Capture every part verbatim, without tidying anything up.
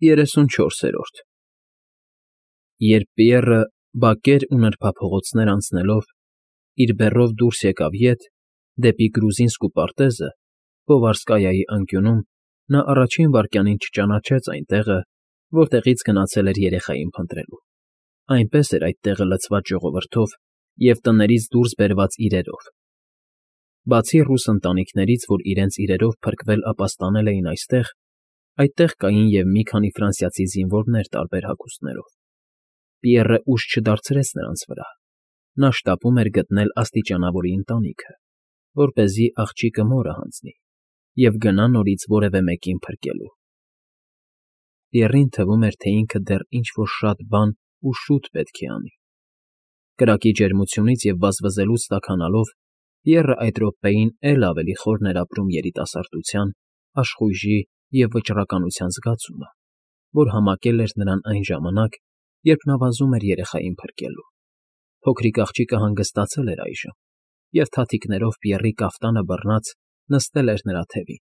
Երեսունչորսերորդ Երբ Պիեռը բակեր ու նրբափողոցներ անցնելով իր բեռով դուրս եկավ ետ, դեպի Գրուզինսկ ու պարտեզը, Պովարսկայայի անկյունում, նա առաջին վայրկյանին չճանաչեց այն տեղը, որտեղից գնացել էր երեխային փնտրելու. այնպես էր այդ տեղը լցված ժողովրդով և տներից դուրս բերված իրերով. բացի ռուս ընտանիքներից, որ իրենց իրերով փրկվել ապաստանել էին այստեղ, այդտեղ կային և մի քանի ֆրանսիացի զինվորներ տարբեր հագուստներով. Պիեռը ուժ չդարձրեց նրանց վրա. նա շտապում էր գտնել աստիճանավորի ընտանիքը, որպեսզի աղջիկը մորը հանձնի և գնա նորից որևէ մեկին փրկելու։ Պիեռին թվում էր, թե ինքը դեռ ինչ֊որ շատ բան ու շուտ պետք է անի։ Կրակի ջերմությունից և վազվզելուց տաքանալով, Պիեռը այդ րոպեին էլ ավելի խորն էր ապրում երիտասարդության, աշխույժի և վճռականության զգացումը, որ համակել էր նրան այն ժամանակ, երբ նա վազում էր երեխային փրկելու։ Փոքրիկ աղջիկը հանգստացել էր այժմ և, թաթիկներով Պիեռի կաֆտանը բռնած, նստել էր նրա թևին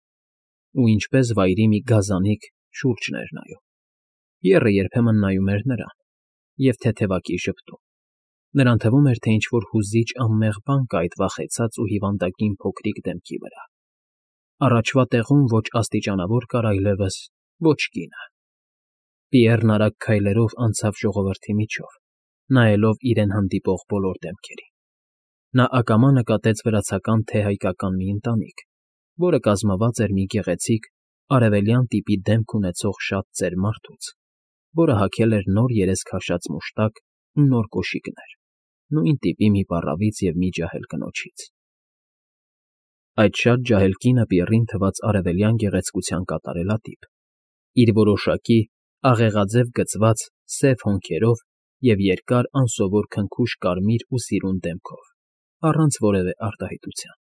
ու, ինչպես վայրի մի գազանիկ, շուրջն էր նայում։ Պիեռը երբեմն նայում էր նրան և թեթևակի ժպտում. նրան թվում էր, թե ինչ֊որ հուզիչ անմեղ բան կա այդ վախեցած ու հիվանդագին փոքրիկ դեմքի վրա. առաջվա տեղում ոչ աստիճանավոր կար այլևս, ոչ կինը։ Պիեռն արագ քայլերով անցավ ժողովրդի միջով, նայելով իրեն հանդիպող բոլոր դեմքերին։ Նա ակամա նկատեց վրացական թե հայկական մի ընտանիք, որը կազմված էր մի գեղեցիկ, արևելյան տիպի դեմք ունեցող շատ ծեր մարդուց, որը հագել էր նոր երես քաշած մուշտակ ու նոր կոշիկներ, նույն տիպի մի պառավից և մի ջահել կնոջից։ Այդ շատ ջահել կինը Պիեռին թվաց արևելյան գեղեցկության կատարելատիպ, իր որոշակի, աղեղաձև գծված, սև հոնքերով և երկար, անսովոր քնքուշ կարմիր ու սիրուն դեմքով, առանց որևէ արտահայտության։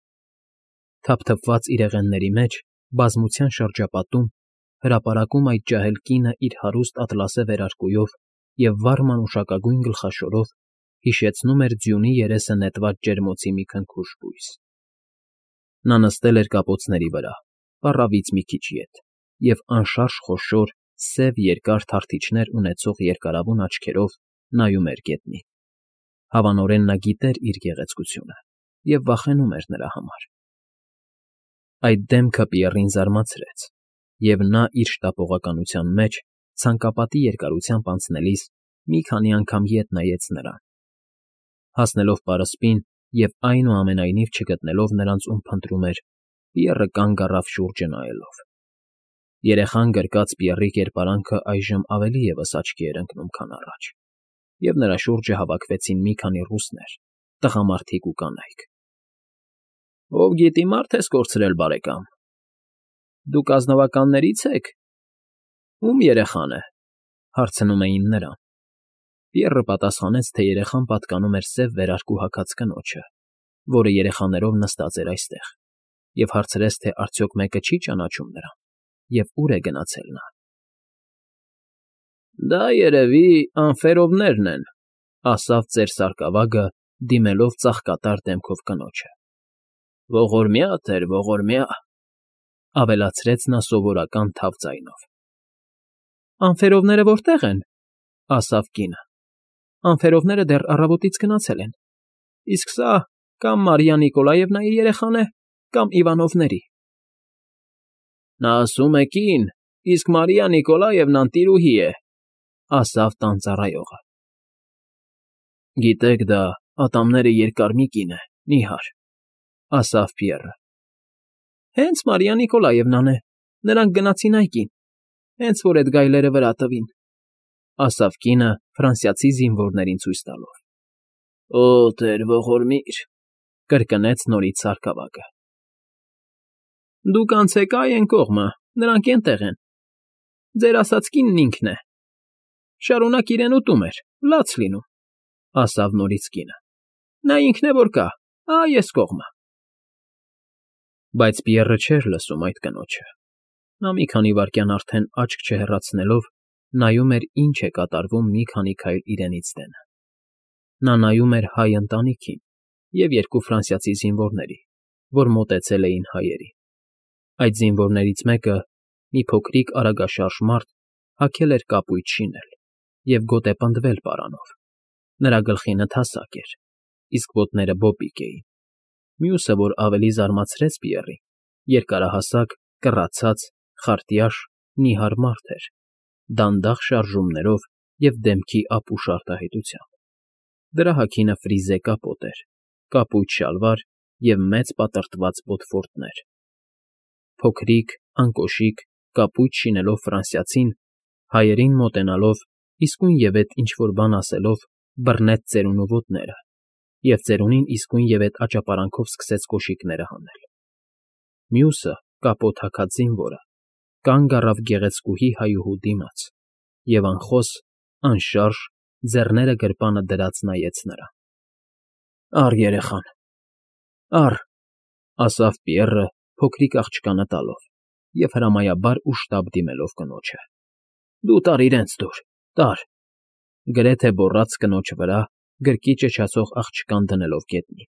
Թափթփված իրեղենների մեջ, բազմության շրջապատում, հրապարակում այդ ջահել կինը իր հարուստ ատլասե վերարկուով և վառ մանուշակագույն գլխաշորով հիշեցնում էր ձյունի երեսը նետված ջերմոցի մի քնքուշ բույս։ Նա նստել էր կապոցների վրա, պառավից մի քիչ ետ, և անշարժ խոշոր, սև երկար թարթիչներ ունեցող երկարավուն աչքերով նայում էր գետնին։ Հավանորեն նա գիտեր իր գեղեցկությունը և վախենում էր նրա համար։ Այդ դեմքը Պիեռին զարմացրեց, և նա իր շտապողականության մեջ, ցանկապատի երկարությամբ անցնելիս, մի քանի անգամ ետ նայեց նրան։ Հասնելով պարսպին և, այնուամենայնիվ, չգտնելով նրանց, ում փնտրում էր, Պիեռը կանգ առավ շուրջը նայելով։ Երեխան գրկած Պիեռի կերպարանքը այժմ ավելի ևս աչքի էր ընկնում, քան առաջ, և նրա շուրջը հավաքվեցին մի քանի ռուսներ, տղամարդիկ ու կանայք։ ֊ Ով գիտի մարդ ես կորցրել, բարեկամ, դուք ազնվականների՞ց եք։ Ո՞ւմ երեխան է,֊ հարցնում էին նրան։ Պիեռը պատասխանեց, թե երեխան պատկանում էր սև վերարկու հագած կնոջը, որը երեխաներով նստած էր այստեղ, և հարցրեց, թե արդյոք մեկը չի ճանաչում նրան և ուր է գնացել նա։ ֊ Դա, երևի, Անֆերովներն են,֊ ասաց ծեր սարկավագը, դիմելով ծաղկատար դեմքով կնոջը։ ֊ Ողորմյա տեր, ողորմյա,֊ ավելացրեց նա սովորական թավ ձայնով։ ֊ Անֆերովները որտե՞ղ են,֊ ասավ կինը։ ֊ Անֆերովները դեռ առավոտից գնացել են, իսկ սա կամ Մարիա Նիկոլաևնայի երեխան է, կամ Իվանովների։ ֊ Նա ասում է կին, իսկ Մարիա Նիկոլաևնան տիրուհի է,֊ ասավ տան ծառայողը։ ֊ Գիտեք, դա ատամները երկար մի կին է, նիհար,֊ ասավ Պիեռը։ ֊ Հենց Մարիա Նիկոլաևնան է, նրանք գնացին այգին, հենց որ էդ գայլերը վրա տվին,֊ ասավ կինը ֆրանսիացի զինվորներին ցույց տալով։ ֊ Օ, տեր ողորմիր,֊ կրկնեց նորից սարկավագը։ ֊ Դուք անցեք ա՜յ են կողմը, նրանք էնտեղ են, ձեր ասած կինն ինքն է։ Շարունակ իրեն ուտում էր, լաց լինում,֊ ասավ նորից կինը։ Նա ինքն է, որ կա, ա՜յ էս կողմը։ Բայց Պիեռը չէր լսում այդ կնոջը։ Նա մի քանի վայրկյան արդեն աչք չհեռացնելով նայում էր, ինչ է կատարվում մի քանի քայլ իրենից դենը։ Նա նայում էր հայ ընտանիքին և երկու ֆրանսիացի զինվորների, որ մոտեցել էին հայերին։ Այդ զինվորներից մեկը, մի փոքրիկ արագաշարժ մարդ, հագել էր կապույտ շինել և գոտեպնդվել պարանով, նրա գլխինը թասակ էր, իսկ ոտները բոպիկ էին, մյուսը, որ ավելի զարմացրեց Պիեռին, երկարահասակ, կռացած, խարտյաշ, նիհար մարդ էր, դանդաղ շարժումներով և դեմքի ապուշ արտահայտությամբ. դրա հագինը ֆրիզե կապոտ էր, կապույտ շալվար և մեծ պատրտված բոթֆորտներ. փոքրիկ, անկոշիկ, կապույտ շինելով ֆրանսիացին, հայերին մոտենալով, իսկույնևեթ ինչ֊որ բան ասելով, բռնեց ծերունու ոտները և ծերունին իսկույնևեթ աճապարանքով սկսեց կոշիկները հանել. մյուսը, կապոտ հագած զինվորը, կանգ առավ գեղեցկուհի հայուհու դիմաց և անխոս, անշարժ, ձեռները գրպանը դրած նայեց նրան։ ֊ Առ երեխան, առ,֊ ասավ Պիեռը, փոքրիկ աղջկանը տալով և հրամայաբար ու շտապ դիմելով կնոջը։֊ Դու տար իրենց դուր, տար,֊ գրեթե գոռաց կնոջ վրա, գրկի ճչացող աղջկան դնելով գետնին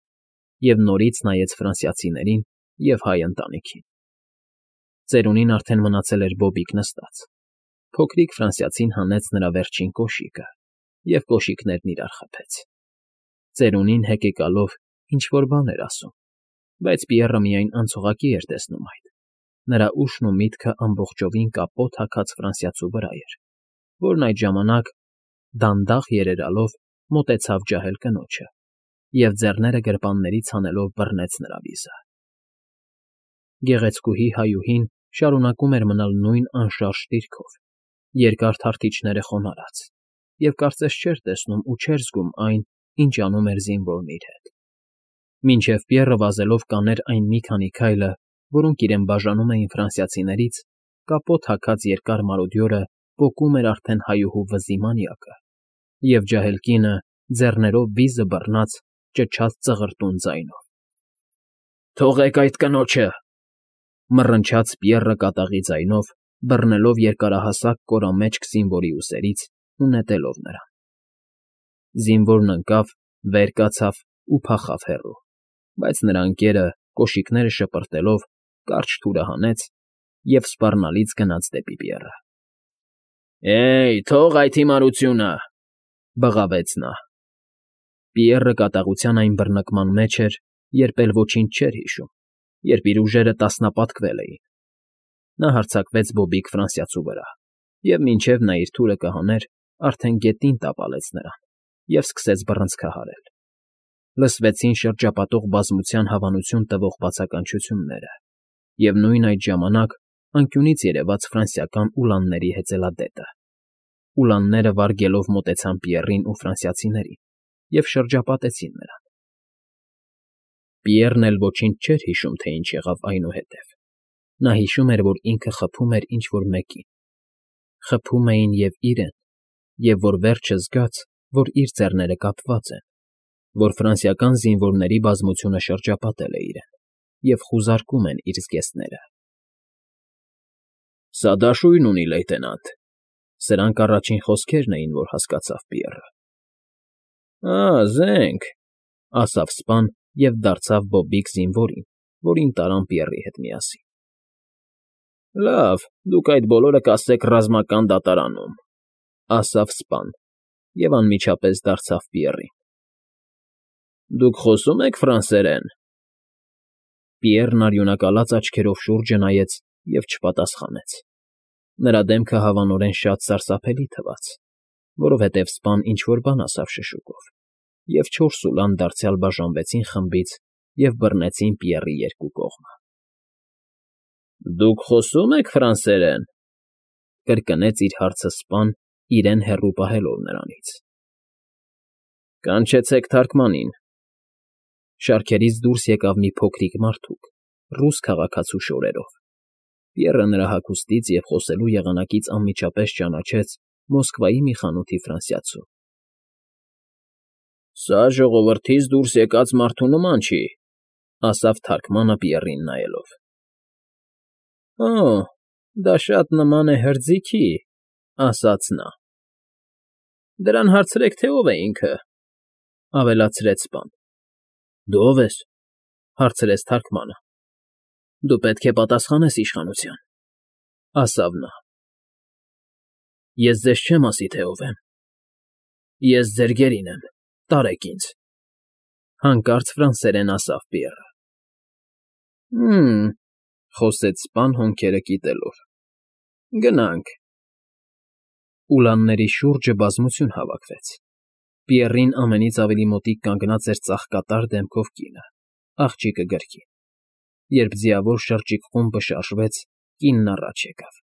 և նորից նայեց ֆրանսիացիներին և հայ ընտանիքին. ծերունին արդեն մնացել էր բոբիկ նստած, փոքրիկ ֆրանսիացին հանեց նրա վերջին կոշիկը և կոշիկներն իրար խփեց. ծերունին հեկեկալով ինչ֊որ բան էր ասում, բայց Պիեռը միայն անցողակի էր տեսնում այդ, նրա ուշն ու միտքը ամբողջովին կապոտ հագած ֆրանսիացու վրա էր, որն այդ ժամանակ, դանդաղ երերալով, մոտեցավ ջահել կնոջը և ձեռները գրպաններից հանելով բռնեց նրա վիզը։ Գեղեցկուհի հայուհին շարունակում էր մնալ նույն անշարժ դիրքով, երկար թարթիչները խոնարհած, և կարծես չէր տեսնում ու չէր զգում այն, ինչ անում էր զինվորն իր հետ, մինչև Պիեռը վազելով կաներ այն մի քանի քայլը, որոնք իրեն բաժանում էին ֆրանսիացիներից, կապոտ հագած երկար մարոդյորը պոկում էր արդեն հայուհու վզի մանյակը, և ջահել կինը, ձեռներով վիզը բռնած, ճչաց ծղրտուն ձայնով. «Թողեք այդ կնոջը,֊ մռնչաց Պիեռը կատաղի ձայնով, բռնելով երկարահասակ կորամեջք զինվորի ուսերից ու նետելով նրան։ Զինվորն ընկավ, վեր կացավ ու փախավ հեռու, բայց նրա ընկերը, կոշիկները շպրտելով, կարճ թուրը հանեց և սպառնալից գնաց դեպի Պիեռը։ ֊ Հե՜յ, թող այդ հիմարությունը,֊ բղավեց նա։ Պիեռը կատաղության այն բռնկման մեջ էր, երբ էլ ոչինչ չէր հիշում, երբ իր ուժերը տասնապատկվել էին։ Նա հարձակվեց բոբիկ ֆրանսիացու վրա և մինչև նա իր թուրը կհաներ, արդեն գետին տապալեց նրան և սկսեց բռնցքահարել։ Լսվեցին շրջապատող բազմության հավանություն տվող բացականչությունները, և նույն այդ ժամանակ անկյունից երևաց ֆրանսիական ուլանների հեծելադետը։ Ուլանները վարգելով մոտեցան Պիեռին ու ֆրանսիացիներին և շրջապատեցին նրան։ Պիեռն էլ ոչինչ չէր հիշում, թե ինչ եղավ այնուհետև. նա հիշում էր, որ ինքը խփում էր ինչ֊որ մեկին, խփում էին և իրեն, և որ վերջը զգաց, որ իր ձեռները կապված են, որ ֆրանսիական զինվորների բազմությունը շրջապատել է իրեն և խուզարկում են իր զգեստները։ ֊ Սա դաշույն ունի, լեյտենանտ,֊ սրանք առաջին խոսքերն էին, որ հասկացավ Պիեռը։ ֊ Ա՜, զենք,֊ ասավ սպան և դարձավ բոբիկ զինվորին, որին տարան Պիեռի հետ միասին։ ֊ Լավ, դուք այդ բոլորը կասեք ռազմական դատարանում,֊ ասավ սպան և անմիջապես դարձավ Պիեռին։ ֊ Դուք խոսո՞ւմ եք ֆրանսերեն։ Պիեռն արյունակալած աչքերով շուրջը նայեց և չպատասխանեց։ Նրա դեմքը հավանորեն շատ սարսափելի թվաց, որովհետև սպան ինչ֊որ բան ասավ շշուկով, և չորս ուլան դարձյալ բաժանվեցին խմբից և բռնեցին Պիեռի երկու կողմը։ ֊ Դուք խոսո՞ւմ եք ֆրանսերեն,֊ կրկնեց իր հարցը սպան, իրեն հեռու պահելով նրանից։ ֊ Կանչեցեք թարկմանին,֊ շարքերից դուրս եկավ մի փոքրիկ մարդուկ ռուս քաղաքացու շորերով։ Պիեռը նրա հագուստից և խոսելու եղանակից անմիջապես ճանաչեց Մոսկվայի մի խանութի ֆրանսիացու։ ֊ Սա ժողովրդից դուրս եկած մարդու նման չի,֊ ասավ թարկմանը Պիեռին նայելով։ ֊ Օ, դա շատ նման է հրձիքի,֊ ասաց նա։ ֊ Դրան հարցրեք, թե ով է ինքը,֊ ավելացրեց սպան։ ֊ Դու ո՞վ ես,֊ հարցրեց թարկմանը։ ֊ Դու պետք է պատասխանես իշխանության,֊ ասավ նա։ Ես ձեզ չեմ ասի, թե ով եմ։ Ես ձեր գերին եմ, տարեք ինձ,֊ հանկարծ ֆրանսերեն ասաց Պիեռը։ ֊ Հը՜մ,֊ խոսեց սպան հոնքերը կիտելով,֊ գնանք… Ուլանների շուրջը բազմություն հավաքվեց. Պիեռին ամենից ավելի մոտիկ կանգնած էր ծաղկատար դեմքով կինը, աղջիկը գրկին։ Երբ ձիավոր շրջիկ խումբը շարժվեց, կինն առաջ եկավ։ ֊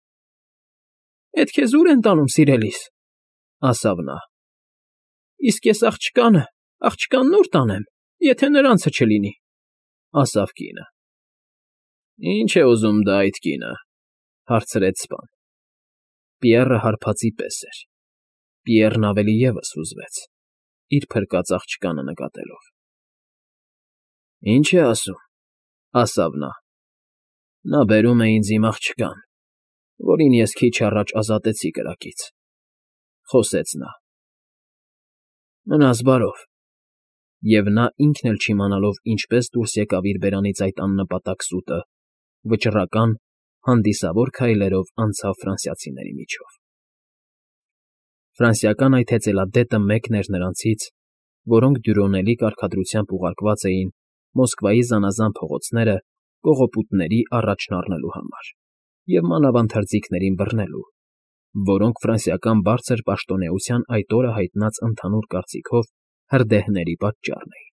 Էդ քեզ ո՞ւր են տանում, սիրելիս,֊ ասաց նա։ ֊ Իսկ ես աղջկանը, աղջկանն ո՞ւր տանեմ, եթե նրանցը չլինի,֊ ասաց կինը։ ֊ Ի՞նչ է ուզում դա այդ կինը,֊ հարցրեց սպան։ Պիեռը հարբածի պես էր։ Պիեռն ավելի ևս հուզվեց, իր փրկած աղջկանը նկատելով։ ֊ Ի՞նչ է ասում,֊ ասաց նա։ ֊ Նա բերում է ինձ իմ աղջկան, որին ես քիչ առաջ ազատեցի կրակից,֊ խոսեց նա։ ֊ Մնաս բարով։ Եվ նա, ինքն էլ չիմանալով ինչպես դուրս եկավ իր բերանից այդ աննպատակ սուտը, վճռական, հանդիսավոր քայլերով անցավ ֆրանսիացիների միջով։ Ֆրանսիական այդ հեծելադետը մեկն էր նրանցից, որոնք դյուրոնելի կարգադրությամբ ուղարկված էին Մոսկվայի զանազան փողոցները կողոպուտների առաջն առնելու համար և մանավանդ հրձիգներին բռնելու, որոնք ֆրանսիական բարձր պաշտոնեության այդ օրը հայտնած ընդհանուր կարծիքով հրդեհների պատճառն էին։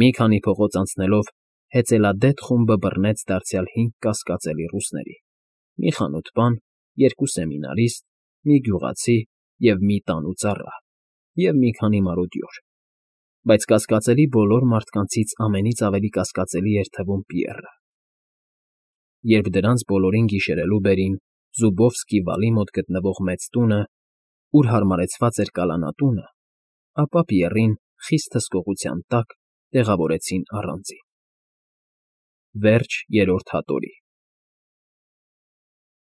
Մի քանի փողոց անցնելով հեծելադետ խումբը բռնեց դարձյալ հինգ կասկածելի ռուսների, մի խանութպան, երկու սեմինարիստ, մի գյուղացի և մի տան ու ծառա, և մի քանի մարոդյոր, բայց կասկածելի բոլոր մարդկանցից ամենից ավելի կասկածելի էր թվում Պիեռը։ Երբ դրանց բոլորին գիշերելու բերին Զուբովսկի վալի մոտ գտնվող մեծ տունը, ուր հարմարեցված էր կալանատունը, ապա Պիեռին խիստ հսկողության տակ տեղավորեցին առանձին։ Վերջ Երրորդ հատորի։